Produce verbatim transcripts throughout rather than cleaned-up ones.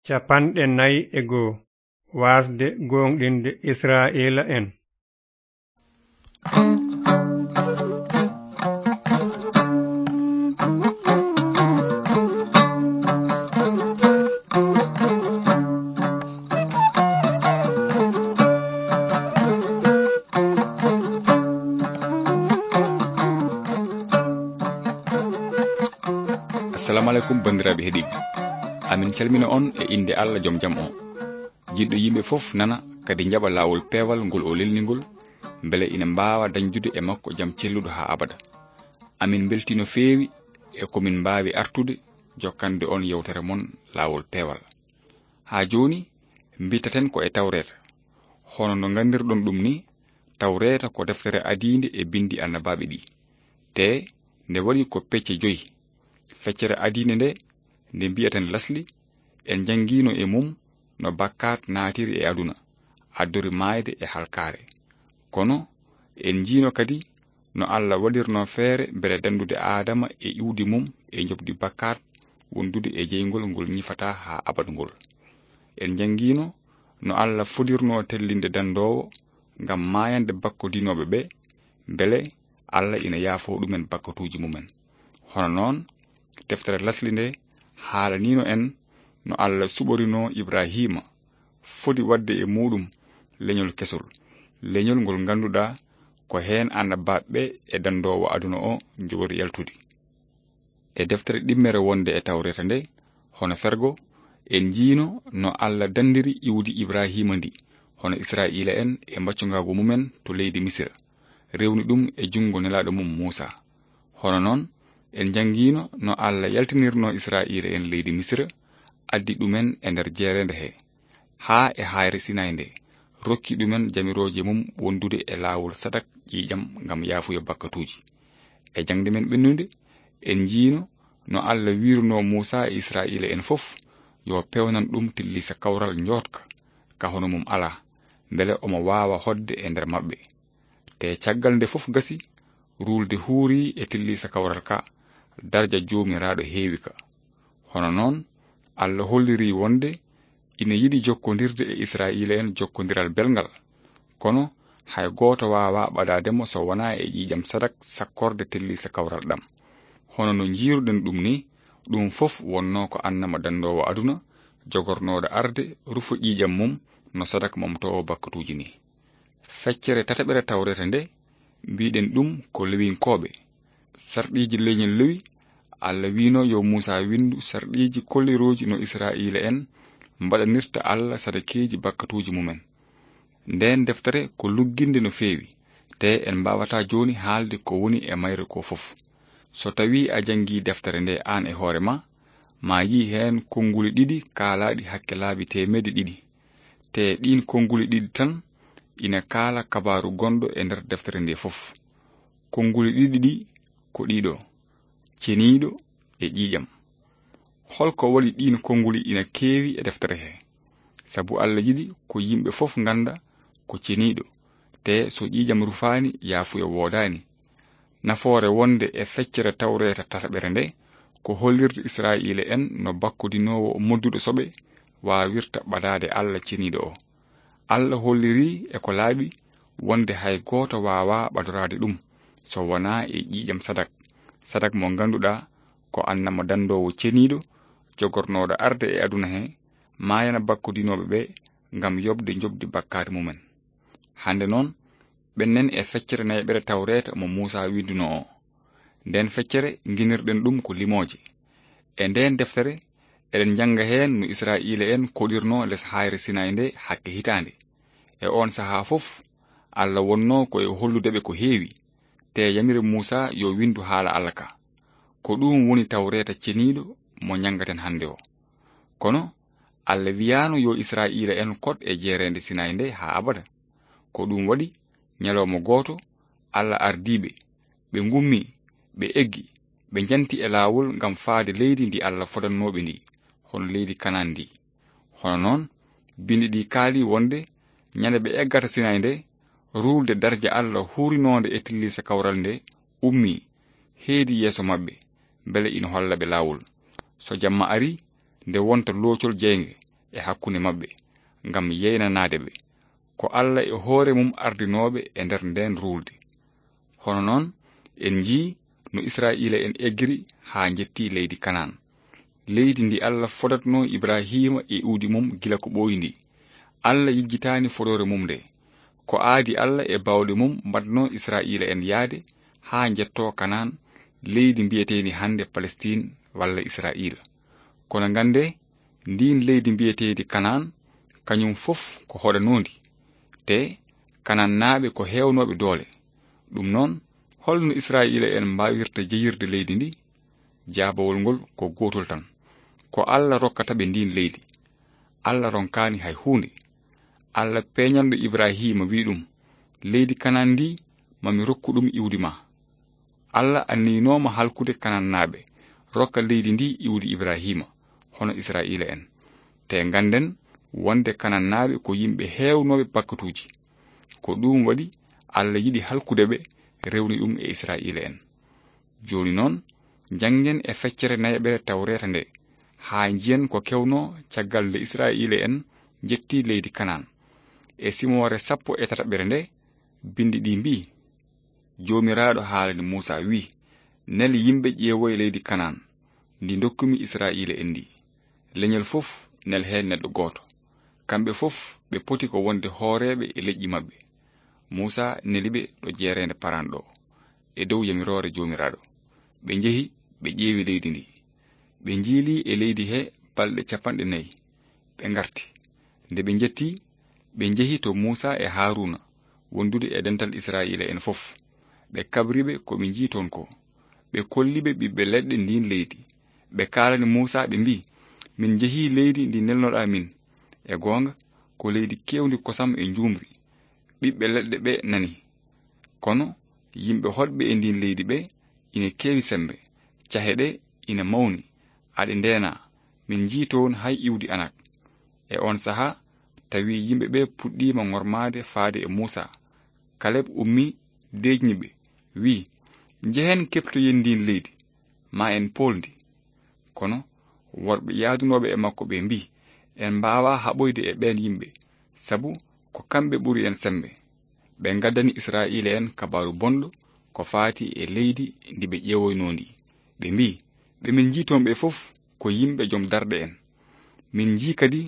Capanɗe nayi e goo. Waasde gooŋɗinde Israa'iila'en. Assalamu alaikum, banndiraaɓe heɗiiɓe. Amin calmina on e innde Allah jom jam o. Jiɗɗo yimɓe fof nana, kadi njaɓa laawol peewal ngol o lelni ngol, mbele ina mbaawa dañdude e makko jam celluɗo haa abada. Amin mbeltii no feewi e ko min mbaawi artude jokkande on yewtere mon laawol peewal. Haa jooni, mbittaten ko e Tawreeta. Hono no nganndirɗon ɗum ni, Tawreeta ko deftere adiinde e binndi annabaaɓe ɗi. Te nde waɗi ko pecce joyi. Feccere adiinde nde, nde mbiyaten lasli, en njanngiino e mum no bakkaat naatiri e aduna, addori maayde e halkaare. Kono en njiino kadi no Allah waɗirno feere mbele danndude Aadama e iwdi mum e njoɓdi bakkaat wondude e jeyngol ngol ñifataa haa abada ngol. En njanngiino no Allah fodirno tellinde danndoowo ngam maayande bakkodinooɓe ɓe, mbele Allah ina yaafoo ɗumen bakkatuuji mumen. Hono noon, deftere lasli nde haalaniino en no Allah suɓorinoo Ibraahiima foti waɗde e muuɗum leñol kesol, leñol ngol ngannduɗaa ko heen annabaaɓe e danndoowo aduna o njogori yaltude. E deftere ɗimmere wonde e Tawreeta nde, hono fergo, en njiino no Allah danndiri iwdi Ibraahiima ndi, hono Israa'iila'en e mbaccungaagu mumen to leydi Misira, rewni ɗum e junngo nelaaɗo mum Muusaa. Hono noon, en njanngiino no Allah yaltinirno Israa'iila'en leydi Misira, addi ɗumen e nder jeereende he, haa e haayre Sinaay nde, rokki ɗumen jamirooje mum wondude e laawol sadak ƴiiƴam ngam yaafuya bakkatuuji. E jaŋde men ɓennunde, en njiino no Allah wiirno Muusaa e Israa'iila'en fof yo pewnan ɗum tilliisa kawral njootka, ka hono mum alaa, mbele omo waawa hoɗde e nder maɓɓe. Te caggal nde fof gasi, ruulde huuri e tilliisa kawral ka, darja Joomiraaɗo heewi ka. Hono noon, Allah holliri wonde ina yiɗi jokkondirde e Israa'iila'en jokkondiral belngal. Kono hay gooto waawaa ɓadaade mo so wonaa e ƴiiƴam sadak sakkorde tilliisa kawral ɗam. Hono no njiiruɗen ɗum ni, ɗum fof wonnoo ko annama danndoowo aduna, jogornooɗo arde, rufo ƴiiƴam mum no sadak momtoowo bakkatuuji ni. Feccere tataɓere Tawreeta nde, mbiɗen ɗum ko Lewinkooɓe. Sarɗiiji leñol Lewi, Allah wiino yo Muusaa winndu sarɗiiji kollirooji no Israa'iila'en mbaɗanirta Allah sadakeeji bakkatuuji mumen. Ndeen deftere ko lugginde no feewi, te en mbaawataa jooni haalde ko woni e mayre ko fof. So tawii a janngii deftere nde aan e hoore ma, ma yii heen konnguli ɗiɗi kaalaaɗi hakke laabi teemedde ɗiɗi. Te ɗiin konnguli ɗiɗi tan ina kaala kabaaru gonɗo e nder deftere nde fof. Konnguli ɗiɗi ɗi ko ɗiɗo, ceniiɗo e ƴiiƴam. Holko waɗi ɗiin konnguli ina keewi e deftere he? Sabu Allah yiɗi ko yimɓe fof ngannda ko ceniiɗo, te so ƴiiƴam rufaani, yaafuya woodaani. Nafoore wonde e feccere Tawreeta tataɓere nde, ko hollirde Israa'iila'en no bakkodinoowo modduɗo soɓe waawirta ɓadaade Allah ceniiɗo o. Allah holliri e ko laaɓi wonde hay gooto waawaa ɓadoraade ɗum so wonaa e ƴiiƴam sadak, sadak mo ngannduɗaa ko annama danndoowo ceniiɗo, jogornooɗo arde e aduna he, maayana bakkodinooɓe ɓe ngam yoɓde njoɓdi bakkaati mumen. Hannde noon, ɓennen e feccere nayaɓere Tawreeta mo Muusaa winndunoo o. Nden feccere nginirɗen ɗum ko limooje. E nden deftere, eɗen njannga heen no Israa'iila'en koɗirnoo les haayre Sinaay nde hakke hitaande. E oon sahaa fof, Allah wonnoo ko e hollude ɓe ko heewi, te yamiri Muusaa yo winndu haala Allah ka. Ko ɗum woni Tawreeta ceniiɗo mo njanngaten hannde o. Kono Allah wiyaano yo Israa'iila'en koɗ e jeereende Sinaay nde haa abada. Ko ɗum waɗi, ñalawma gooto, Allah ardii ɓe. Ɓe ngummi, ɓe eggi, ɓe njanti e laawol ngam faade leydi ndi Allah fodannoo ɓe ndi, hono leydi Kanaan ndi. Hono noon, binndi ɗi kaali wonde ñande ɓe eggata Sinaay nde, ruulde darja Allah huurinoonde e tilliisa kawral nde ummii, heedi yeeso maɓɓe, mbele ina holla ɓe laawol. So jamma arii, nde wonta loocol jeynge, e hakkunde maɓɓe, ngam yeynanaade ɓe. Ko Alla e hoore mum ardinooɓe e nder ndeen ruulde. Hono noon, en njii no Israa'iila'en eggiri haa njetti leydi Kanaan, leydi ndi Alla fodatnoo Ibrahiima e iwdi mum gila ko ɓooyi ndi. Alla yejjitaani fodoore mum nde. Ko aadi Alla e baawɗe mum mbaɗnoo Israa'iila'en yahde haa njettoo Kanaan, leydi mbiyeteendi hannde Palestiin walla Israa'iila. Kono nganndee, ndiin leydi mbiyeteendi Kanaan, kañum fof ko hoɗanoondi, te Kanaannaaɓe ko heewnooɓe doole. Ɗum noon, hol no Israa'iila'en mbaawirta jeyirde leydi ndi? Jaabawol ngol ko gootol tan. Ko Alla rokkata ɓe ndiin leydi. Alla ronkaani hay huunde. Alla peeñanɗo Ibrahiima wi'i ɗum, "Leydi Kanaan ndi, ma mi rokku ɗum iwdi ma." Alla anniyinooma halkude Kanaannaaɓe, rokka leydi ndi iwdi Ibrahiima, hono Israa'iila'en. Te ngannden wonde Kanaannaaɓe ko yimɓe heewnooɓe bakkatuuji. Ko ɗum waɗi Alla yiɗi halkude ɓe, rewni ɗum e Israa'iila'en. Jooni noon, njanngen e feccere nayaɓere Tawreeta nde, haa njiyen ko kewnoo caggal nde Israa'iila'en njetti leydi Kanaan. E simoore sappo e tataɓere nde, binndi ɗi mbii, Joomiraaɗo haalani Muusaa, wi'i, "Nel yimɓe ƴeewoya leydi Kanaan, ndi ndokkumi Israa'iila'en ndi. Leñol fof, nel heen neɗɗo gooto. Kamɓe fof, ɓe poti ko wonde hooreeɓe e leƴƴi maɓɓe." Muusaa neli ɓe ɗo jeereende Paran ɗo, e dow yamiroore Joomiraaɗo. Ɓe njehi, ɓe ƴeewi leydi ndi. Ɓe njiili e leydi he balɗe capanɗe nayi. Ɓe ngarti. Nde ɓe njetti, ɓe njehi to Muusaa e Haaruuna, wondude e dental Israa'iila'en fof. Ɓe kabri ɓe ko ɓe njii toon ko. Ɓe kolli ɓe ɓiɓɓe leɗɗe ndiin leydi. Ɓe kaalani Muusaa, ɓe mbii, "Min njehii leydi ndi nelnoɗaa min. E goonga, ko leydi keewndi kosam e njuumri. Ɓiɓɓe leɗɗe ɓe nani. Kono yimɓe hoɗɓe e ndiin leydi ɓe ina keewi semmbe. Cahe ɗe ina mawni, aɗe ndeena. Min njii toon hay iwdi anak." E oon sahaa, tawi yimɓe ɓe puɗɗiima ŋormaade faade e Muusaa. Kaleb ummii, deeƴni ɓe, wi'i, "Njehen keɓtoyen ndiin leydi, ma en pool ndi." Kono worɓe yahdunooɓe e makko ɓe mbii, "En mbaawaa haɓoyde e ɓeen yimɓe, sabu ko kamɓe ɓuri en semmbe." Ɓe ngaddani Israa'iila'en kabaaru bonɗo ko faati e leydi ndi ɓe ƴeewoynoo ndi. Ɓe mbii, "Ɓe min njii toon ɓe fof ko yimɓe jom darɗe en. Min njii kadi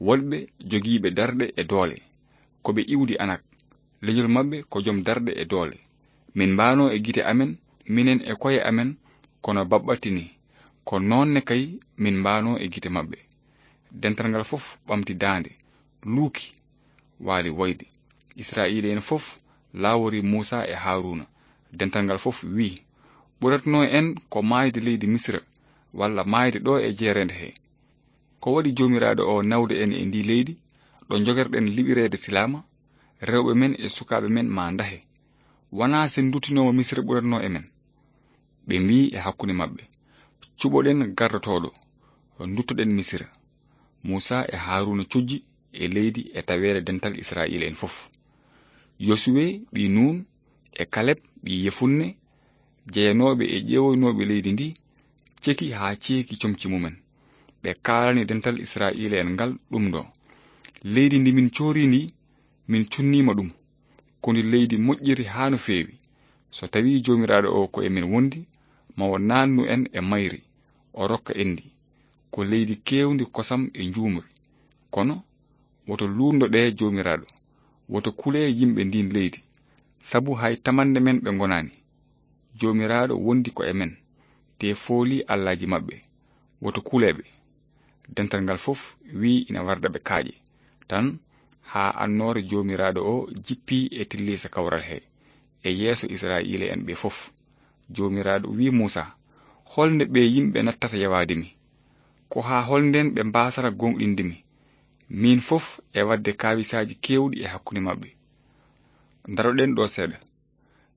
woɗɓe jogiiɓe darɗe e doole. Ko ɓe iwdi anak. Leñol maɓɓe ko jom darɗe e doole. Min mbaanoo e gite amen, minen e koye amen, kono baɓɓatti ni. Ko noon ne kay min mbaanoo e gite maɓɓe." Dental ngal fof ɓamti daande, luuki, waali woyde. Israa'iila'en fof laawori Muusaa e Haaruuna. Dental ngal fof wi'i, "Ɓuratnoo en ko maayde leydi Misira, walla maayde ɗo e jeereende he. Ko waɗi Joomiraaɗo o nawde en e ndii leydi, ɗo njogerɗen liɓireede silaama, rewɓe men e sukaaɓe men maa ndahe? Wanaa sen nduttinooma Misira ɓuratnoo e men?" Ɓe mbii e hakkunde maɓɓe, "Cuɓoɗen gardotooɗo, nduttoɗen Misira." Muusaa e Haaruuna cujji e leydi e taweede dental Israa'iila'en fof. Yosuwe ɓii Nuun e Kaleb ɓii Yefunne, jeyanooɓe e ƴeewoynooɓe leydi ndi, ceki haa ceeki comci mumen. Ɓe kaalani dental Israa'iila'en ngal ɗum ɗo, "Leydi ndi min coorii ndi, min cunniima ɗum. Ko ndi leydi moƴƴiri haa no feewi. So tawii Joomiraaɗo o ko e men wondi, ma o naatnu en e mayri, o rokka en ndi. Ko leydi keewndi kosam e njuumri. Kono woto luutndo ɗe Joomiraaɗo. Woto kulee yimɓe ndiin leydi, sabu hay tamannde men ɓe ngonaani. Joomiraaɗo wondi ko e men, te fooli allaaji maɓɓe. Woto kulee ɓe." Dental ngal fof wi'i ina warda ɓe kaaƴe, tan haa annoore Joomiraaɗo o jippii e tilliisa kawral he, e yeeso Israa'iila'en ɓe fof. Joomiraaɗo wi'i Muusaa, "Holnde ɓee yimɓe nattata yawaade mi? Ko haa holnden ɓe mbaasata gooŋɗinde mi, miin fof e waɗde kaawisaaji keewɗi e hakkunde maɓɓe? Ndaroɗen ɗo seeɗa.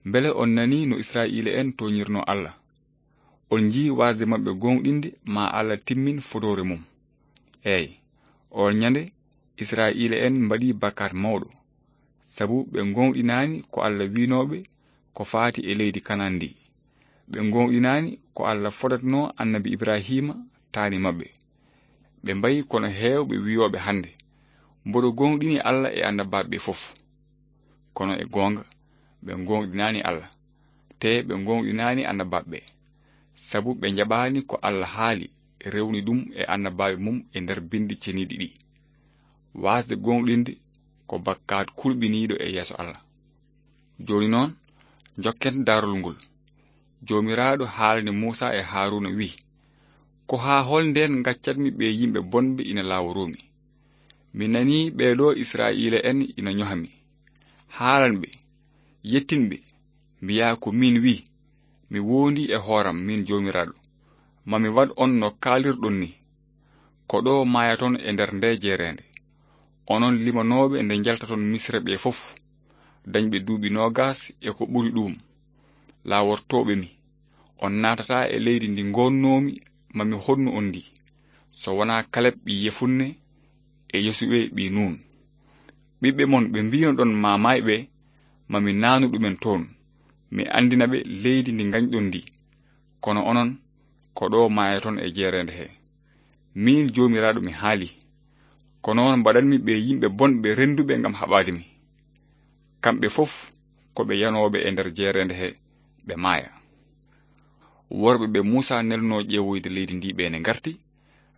Mbele on nanii no Israa'iila'en tooñirnoo Alla? On njii waasde maɓɓe gooŋɗinde ma Alla timmin fodoore mum. Eey, oon ñande Israa'iila'en mbaɗii bakkaat mawɗo, sabu ɓe ngooŋɗinaani ko Alla wi'noo ɓe ko faati e leydi Kanaan ndi. Ɓe ngooŋɗinaani ko Alla fodatnoo Annabi Ibrahiima taani maɓɓe. Ɓe mbayi kono heewɓe wiyooɓe hannde, mboɗo gooŋɗini Alla e annabaaɓe ɓe fof. Kono e goonga, ɓe gooŋɗinaani Alla, te ɓe gooŋɗinaani annabaaɓe ɓe. Sabu ɓe njaɓaani ko Alla haali, rewni ɗum e annabaaɓe mum e nder binndi ceniiɗi ɗi. Waasde gooŋɗinde ko bakkaat kulɓiniiɗo e yeeso Alla. Jooni noon, njokken daarol ngol. Joomiraaɗo haalani Muusaa e Haaruuna wi'i, "Ko haa hol ndeen ngaccatmi ɓee yimɓe bonɓe ina laaworoo mi? Mi nanii ɓee ɗoo Israa'iila'en ina njoha mi. Haalan ɓe, yettin ɓe, mbiyaa ko miin wi'i, mi woondii e hooram, miin Joomiraaɗo, ma mi waɗ on no kaalirɗon ni. Ko ɗo maayaton e nder ndee jeereende, onon limanooɓe nde njaltaton Misra ɓe fof, dañɓe duuɓi noogas e ko ɓuri ɗuum, laawortooɓe mi. On naatataa e leydi ndi ngoonnoomi ma mi honnu on ndi, so wonaa Kaleb ɓii Yefunne e Yosuwe ɓii Nuun. Ɓiɓɓe mon ɓe mbiinoɗon ma maay ɓe, ma mi naanu ɗumen toon, mi anndina ɓe leydi ndi ngañɗon ndi. Kono onon, ko ɗo maayaton e jeereende he. Miin Joomiraaɗo mi haali. Ko noon mbaɗanmi ɓe yimɓe bonɓe rennduɓe ngam haɓaade mi. Kamɓe fof ko ɓe yanooɓe e nder jeereende he, ɓe maaya." Worɓe ɓe Muusaa nelnoo ƴeewoyde leydi ndi ɓe ne ngarti,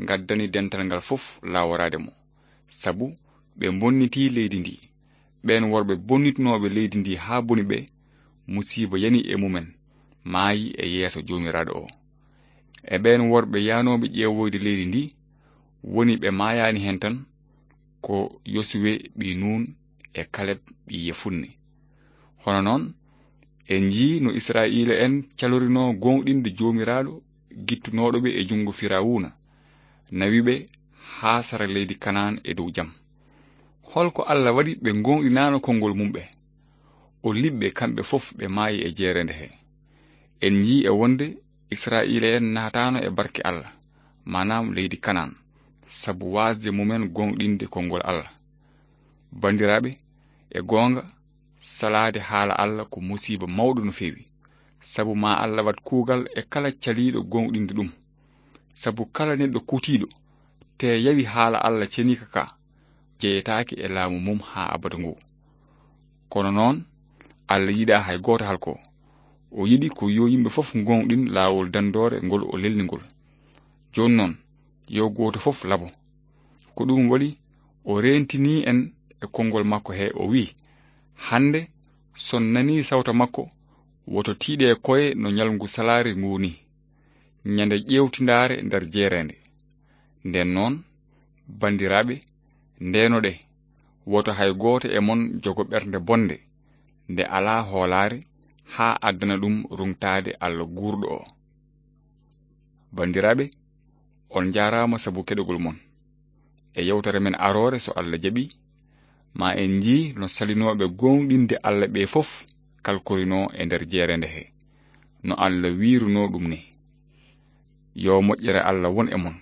ngaddani dental ngal fof laaworaade mo, sabu ɓe mbonnitii leydi ndi. Ɓeen worɓe bonnitnooɓe leydi ndi haa boni ɓe, musiiba yani e mumen, maayi e yeeso Joomiraaɗo o. E ɓeen worɓe yaanooɓe ƴeewoyde leydi ndi, woni ɓe maayaani heen tan, ko Yosuwe ɓii Nuun e Kaleb ɓii Yefunne. Hono noon, en njii no Israa'iila'en calorinoo gooŋɗinde Joomiraaɗo gittunooɗo ɓe e junngo Firawuna, nawi ɓe haa sara leydi Kanaan e dow jam. Hol ko Alla waɗi ɓe ngooŋɗinaano konngol mum ɓe? O liɓɓe kamɓe fof ɓe maayi e jeereende he. En njii e wonde Israa'iila'en naataano e barke Alla, maanaam leydi Kanaan, sabu waasde mumen gooŋɗinde konngol Alla. Banndiraaɓe, e goonga, salaade haala Alla ko musiiba mawɗo no feewi, sabu ma Alla waɗ kuugal e kala caliiɗo gooŋɗinde ɗum. Sabu kala neɗɗo kutiiɗo, te yawi haala Alla ceniika ka, jeyetaake e laamu mum haa abada ngu. Kono noon, Alla yiɗaa hay gooto halko. O yiɗi ko yo yimɓe fof ngooŋɗin laawol danndoore ngol o lelni ngol. Jooni noon, yo gooto fof labo. Ko ɗum waɗi o reentinii en e konngol makko he, o wi'i, "Hannde, son nanii sawta makko, woto tiiɗe koye no ñalngu salaare nguu nii, ñande ƴeewtindaare nder jeereende." Nden noon, banndiraaɓe, ndeenoɗe, woto hay gooto e mon jogo ɓernde bonde, nde alaa hoolaare, haa addana ɗum ruŋtaade Alla guurɗo o. Banndiraaɓe, on njaaraama sabu keɗogol mon. E yewtere men aroore, so Alla jaɓi, ma en njii no salinooɓe gooŋɗinde Alla ɓe fof kalkorinoo e nder jeereende he, no Alla wiirunoo ɗum ni. Yo moƴƴere Alla won e mon.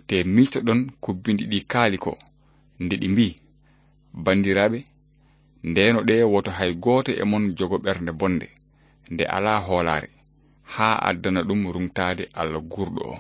Te miijtoɗon ko binndi ɗi kaali ko, nde ɗi mbii, "Banndiraaɓe, ndeenoɗe woto hay gooto e mon jogo ɓernde bonde, nde alaa hoolaare, haa addana ɗum ruŋtaade Alla guurɗo o."